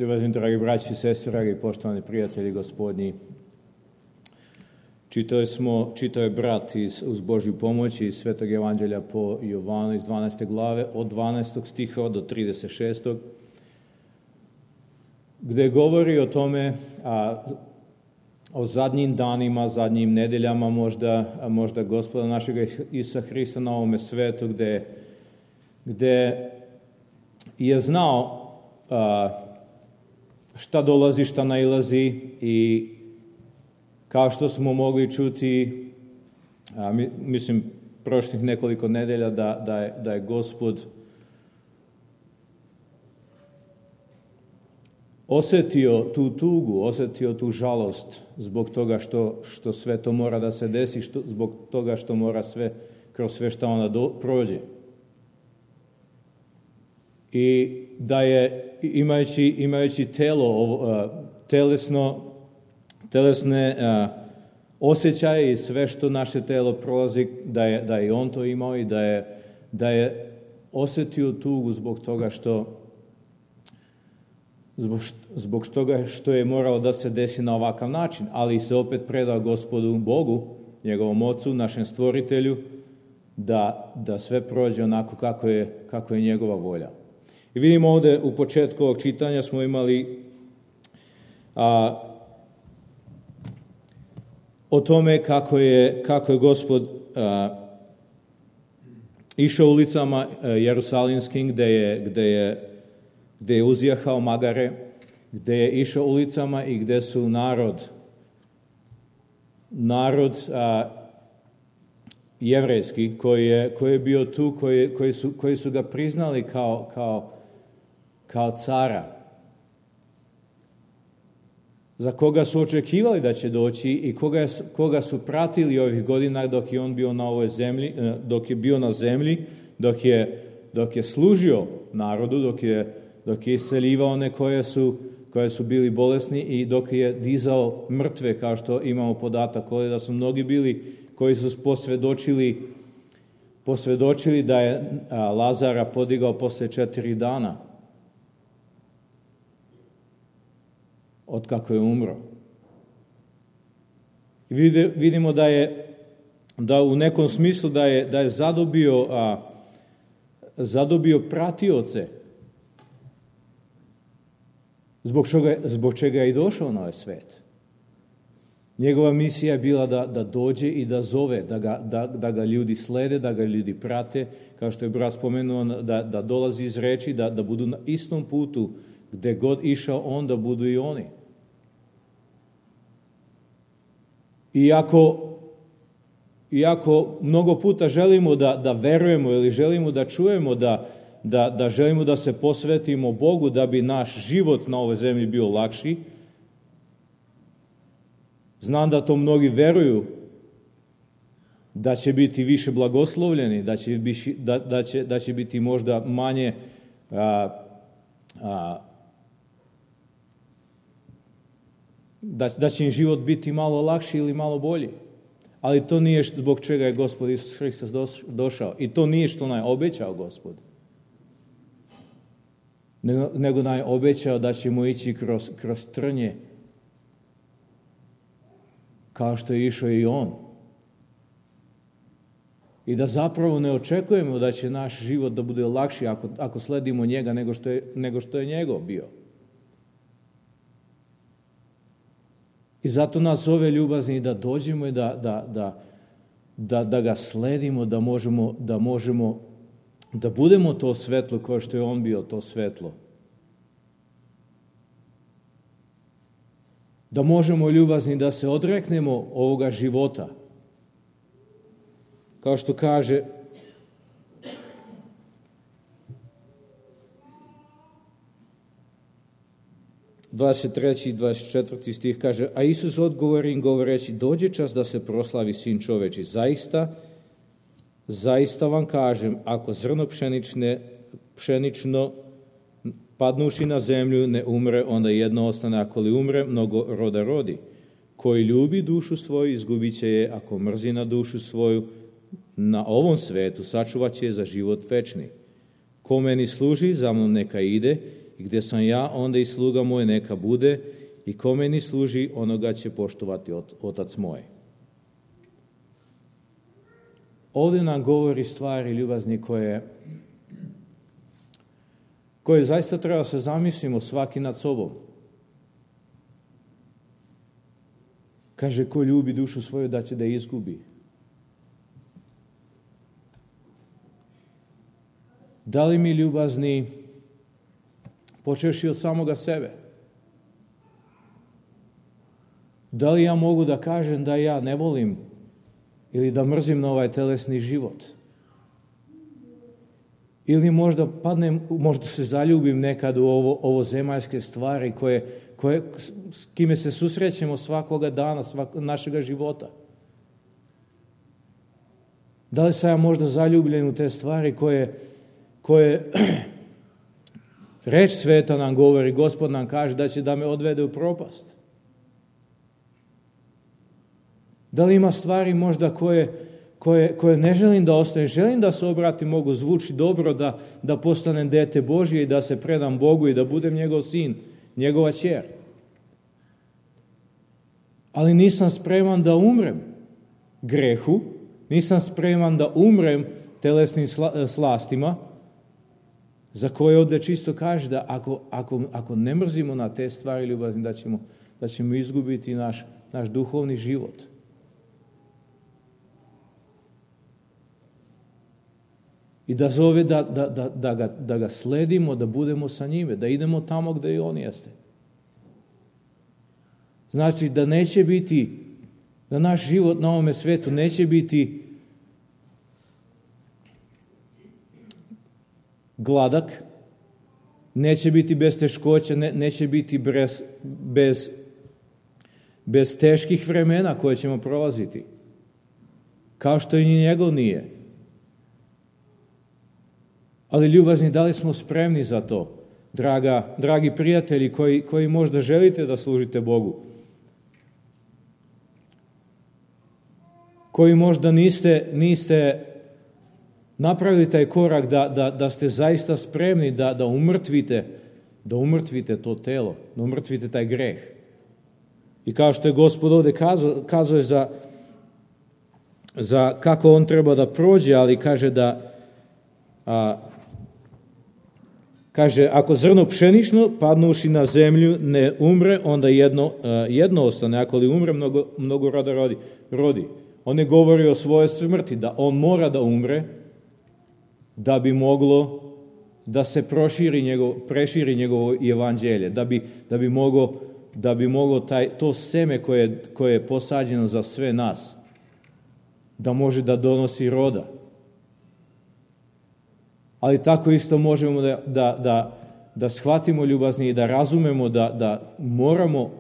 Ljubazni dragi braći i sestre, dragi poštovani prijatelji gospodnji, čitao je brat uz Božju pomoć iz Svetog Evanđelja po Jovanu iz 12. glave od 12. stiha do 36. gde govori o tome, o zadnjim danima, zadnjim nedeljama možda Gospoda našega Isusa Hrista na ovome svetu, gde je znao šta dolazi, šta nailazi i kao što smo mogli čuti, mislim, prošlih nekoliko nedelja da je Gospod osetio tu tugu, osetio tu žalost zbog toga što sve to mora da se desi, zbog toga što mora sve, kroz sve što ona prođe. I da je, imajući telo, telesne osjećaje i sve što naše telo prolazi, da je on to imao i da je osetio tugu zbog toga što je moralo da se desi na ovakav način, ali se opet predao Gospodu Bogu, njegovom Ocu, našem Stvoritelju, da sve prođe onako kako je njegova volja. I vidimo ovde u početku ovog čitanja smo imali o tome kako je Gospod išao ulicama jerusalimskim gde je uzjahao magare, gde je išao ulicama i gde su narod jevrejski koji je bio tu, koji su ga priznali kao cara, za koga su očekivali da će doći i koga su pratili ovih godina dok je on bio na ovoj zemlji, dok je bio na zemlji, dok je služio narodu, dok je isceljivao one koje su bili bolesni i dok je dizao mrtve, kao što imamo podatak ovdje da su mnogi bili koji su posvedočili da je Lazara podigao posle 4 dana od kako je umro. I vidimo da u nekom smislu da je zadobio pratioce, zbog čega je i došao na ovaj svet. Njegova misija je bila da dođe i da zove, da ga ljudi slede, da ga ljudi prate, kao što je brat spomenuo, da dolazi iz reči, da budu na istom putu, gde god išao on, da budu i oni. Iako mnogo puta želimo da verujemo ili želimo da čujemo da želimo da se posvetimo Bogu da bi naš život na ovoj zemlji bio lakši, znam da to mnogi veruju da će biti više blagoslovljeni, da će biti možda manje da će im život biti malo lakši ili malo bolji. Ali to nije zbog čega je Gospod Isus Hristos došao. I to nije što nam je obećao Gospod. Nego nam je obećao da ćemo ići kroz trnje kao što je išao i on. I da zapravo ne očekujemo da će naš život da bude lakši ako sledimo njega nego što je njegov bio. I zato nas zove ljubazni da dođemo i da ga sledimo, da možemo da budemo to svetlo kao što je on bio to svetlo. Da možemo ljubazni da se odreknemo ovoga života. Kao što kaže dvadeset treći i 24. stih, kaže: a Isus odgovori im govoreći: dođe čas da se proslavi Sin čoveči. Zaista vam kažem, ako zrno pšenično padnuši na zemlju ne umre, onda jedno ostane, ako li umre, mnogo roda rodi. Koji ljubi dušu svoju, izgubit će je, ako mrzi na dušu svoju, na ovom svetu sačuvat će je za život večni. Ko meni služi, za mnom neka ide, i gdje sam ja, onda i sluga moj neka bude, i ko meni služi, onoga će poštovati otac moj. Ovdje nam govori stvari, ljubazni, koje zaista treba se zamislimo svaki nad sobom. Kaže, ko ljubi dušu svoju da će da je izgubi. Da li mi, ljubazni, počevši od samoga sebe, da li ja mogu da kažem da ja ne volim ili da mrzim na ovaj telesni život? Ili možda padnem, možda se zaljubim nekad u ovo zemaljske stvari s kime se susrećemo svakoga dana, našega života. Da li sam ja možda zaljubljen u te stvari koje reč sveta nam govori, Gospod nam kaže da će da me odvede u propast? Da li ima stvari možda koje ne želim da ostane, želim da se obratim, mogu zvuči dobro, da postanem dete Božje i da se predam Bogu i da budem njegov sin, njegova ćer. Ali nisam spreman da umrem grehu, nisam spreman da umrem telesnim slastima, za koje ovdje čisto kaže da ako ne mrzimo na te stvari, ljubazni, da ćemo izgubiti naš duhovni život. I da zove da ga sledimo, da budemo sa njime, da idemo tamo gdje i on jeste. Znači da neće biti, da naš život na ovome svetu neće biti gladak, neće biti bez teškoća, neće biti bez teških vremena koje ćemo prolaziti. Kao što i njegov nije. Ali, ljubazni, da li smo spremni za to? Dragi prijatelji koji možda želite da služite Bogu, koji možda niste napravili taj korak da ste zaista spremni da umrtvite to telo, da umrtvite taj greh. I kao što je Gospod ovdje kazao za kako on treba da prođe, ali kaže kaže, ako zrno pšenično padnuši na zemlju ne umre, onda jedno ostane, ako li umre, mnogo roda rodi. On ne govori o svojoj smrti, da on mora da umre, da bi moglo da se preširi njegovo evanđelje, da bi moglo to seme koje je posađeno za sve nas, da može da donosi roda. Ali tako isto možemo da shvatimo, ljubazni, i da razumemo da moramo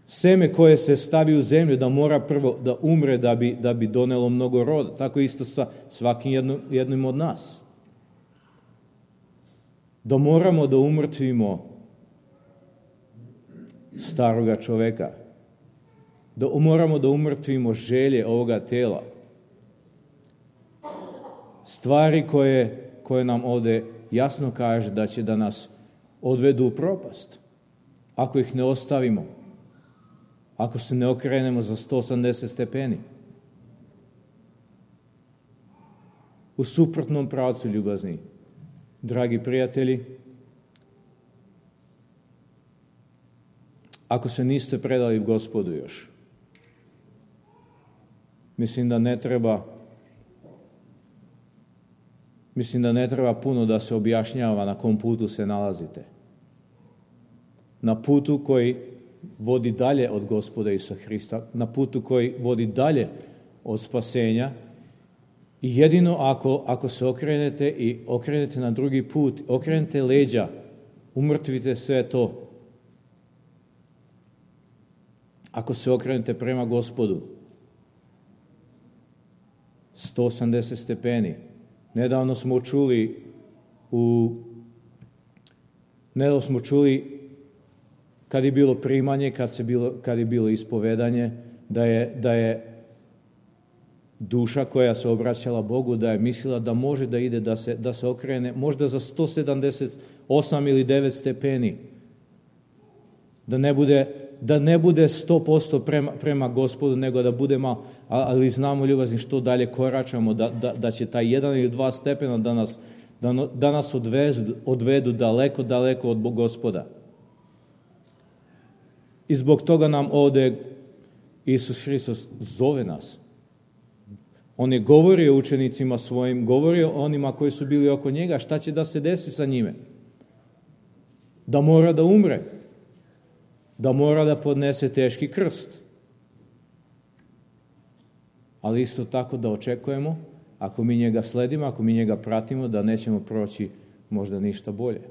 seme koje se stavi u zemlju, da mora prvo da umre da bi donelo mnogo roda. Tako isto sa svakim jednim od nas. Da moramo da umrtvimo staroga čoveka. Da moramo da umrtvimo želje ovoga tela. Stvari koje nam ovdje jasno kaže da će da nas odvedu u propast. Ako ih ne ostavimo. Ako se ne okrenemo za 180 stepeni. U suprotnom pravcu, ljubazni, dragi prijatelji, ako se niste predali Gospodu još, mislim da ne treba puno da se objašnjava na kom putu se nalazite. Na putu koji vodi dalje od Gospoda Isusa Hrista, na putu koji vodi dalje od spasenja, i jedino ako se okrenete i okrenete na drugi put, okrenete leđa, umrtvite sve to. Ako se okrenete prema Gospodu, 180 stepeni. Nedavno smo čuli kad je bilo primanje, kad je bilo ispovedanje, da je duša koja se obraćala Bogu, da je mislila da može da ide, da se okrene, možda za 178 ili 9 stepeni. Da ne bude 100% prema Gospodu, nego da budemo, ali znamo ljubazni što dalje koračamo, da će taj 1 ili 2 stepena da nas odvedu daleko, daleko od Gospoda. I zbog toga nam ovdje Isus Hristos zove nas. On je govorio učenicima svojim, govorio onima koji su bili oko njega, šta će da se desi sa njime. Da mora da umre. Da mora da podnese teški krst. Ali isto tako da očekujemo, ako mi njega sledimo, ako mi njega pratimo, da nećemo proći možda ništa bolje.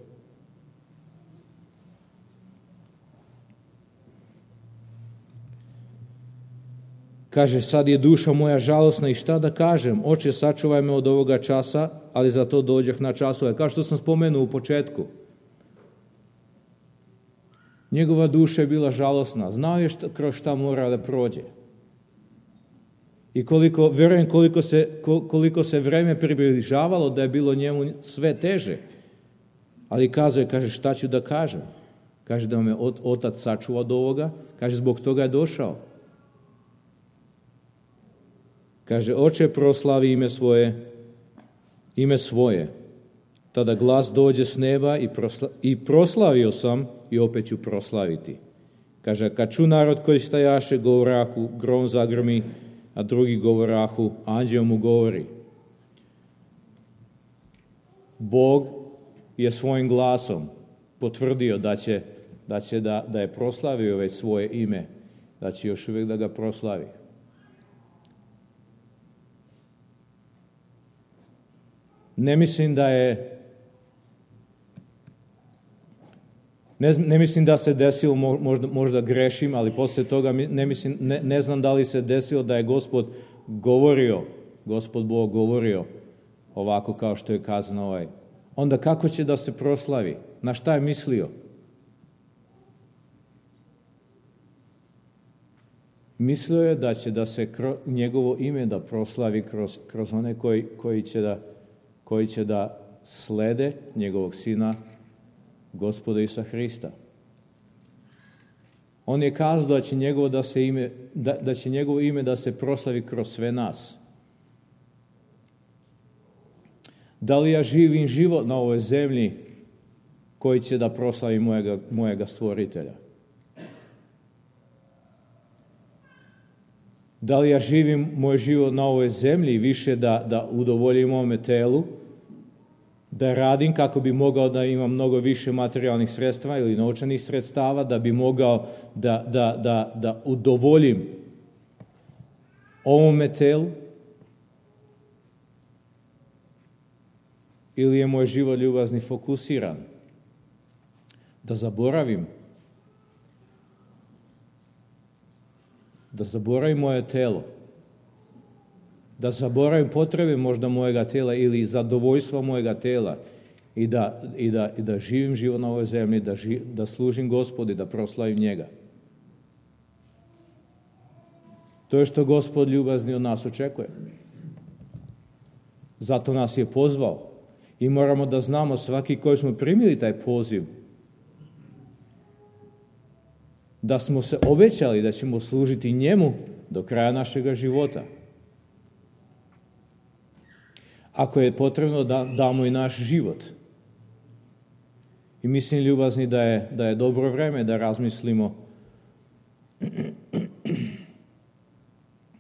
Kaže, sad je duša moja žalosna i šta da kažem? Oče, sačuvaj me od ovoga časa, ali za to dođeh na časove. Kao što sam spomenuo u početku. Njegova duša je bila žalosna. Znao je kroz šta mora da prođe. I vjerujem koliko se vreme približavalo da je bilo njemu sve teže. Ali kaže, šta ću da kažem? Kaže da me otac sačuva od ovoga. Kaže, zbog toga je došao. Kaže, oče, proslavi ime svoje. Tada glas dođe s neba i proslavio sam i opet ću proslaviti. Kaže, kad ču narod koji stajaše, govorahu, grom zagrmi, a drugi govorahu, anđeo mu govori. Bog je svojim glasom potvrdio da je proslavio već svoje ime, da će još uvijek da ga proslavi. Ne mislim da se desilo, možda grešim, ali poslije toga ne znam da li se desilo da je Gospod Bog govorio ovako kao što je kazano Onda kako će da se proslavi? Na šta je mislio? Mislio je da će da se njegovo ime da proslavi kroz one koji će da slede njegovog sina, Gospoda Isusa Hrista. On je kazao da će njegovo ime da se proslavi kroz sve nas. Da li ja živim život na ovoj zemlji koji će da proslavi mojega stvoritelja? Da li ja živim moj život na ovoj zemlji više da udovoljim ovome telu, da radim kako bi mogao da imam mnogo više materijalnih sredstva ili novčanih sredstava, da bi mogao da udovoljim ovome telu? Ili je moj život ljubazni fokusiran? Da zaboravim moje telo, da zaboravim potrebe možda mojega tela ili zadovoljstva mojega tela i da živim život na ovoj zemlji, da služim Gospodu i da proslavim njega. To je što Gospod ljubazni od nas očekuje. Zato nas je pozvao i moramo da znamo svaki koji smo primili taj poziv, da smo se obećali da ćemo služiti njemu do kraja našega života. Ako je potrebno da damo i naš život. I mislim, ljubazni, da je dobro vreme da razmislimo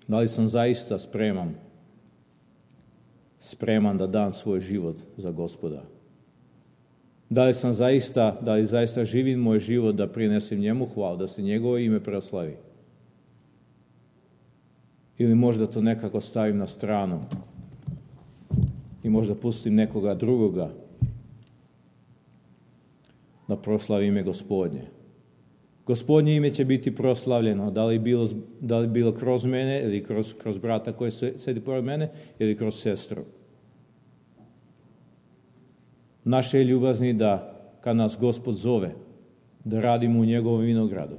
da li sam zaista spreman da dam svoj život za Gospoda. Da li zaista živim moj život da prinesem njemu hvalu, da se njegovo ime proslavi. Ili možda to nekako stavim na stranu i možda pustim nekoga drugoga da proslavi ime Gospodnje. Gospodnje ime će biti proslavljeno, da li bilo kroz mene ili kroz brata koji sedi pored mene ili kroz sestru. Naše je ljubazni da kad nas Gospod zove, da radimo u njegovom vinogradu,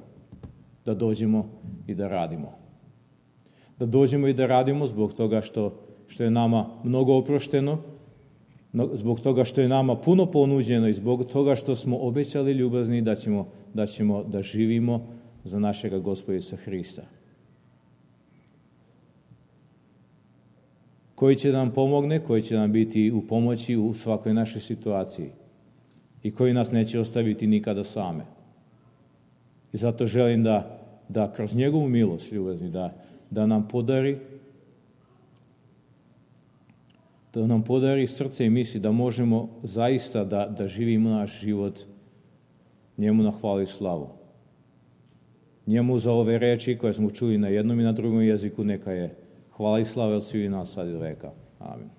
da dođemo i da radimo. da dođemo i da radimo zbog toga što je nama mnogo oprošteno, zbog toga što je nama puno ponuđeno i zbog toga što smo obećali ljubazni da ćemo da živimo za našega Gospoda Isusa Hrista. Koji će nam pomogne, koji će nam biti u pomoći u svakoj našoj situaciji i koji nas neće ostaviti nikada same. I zato želim da kroz njegovu milost, ljubazni, da nam podari srce i misli da možemo zaista da živimo naš život njemu na hvalu i slavu. Njemu za ove reči koje smo čuli na jednom i na drugom jeziku neka je hvala i slava od svih nas sad i do veka. Amin.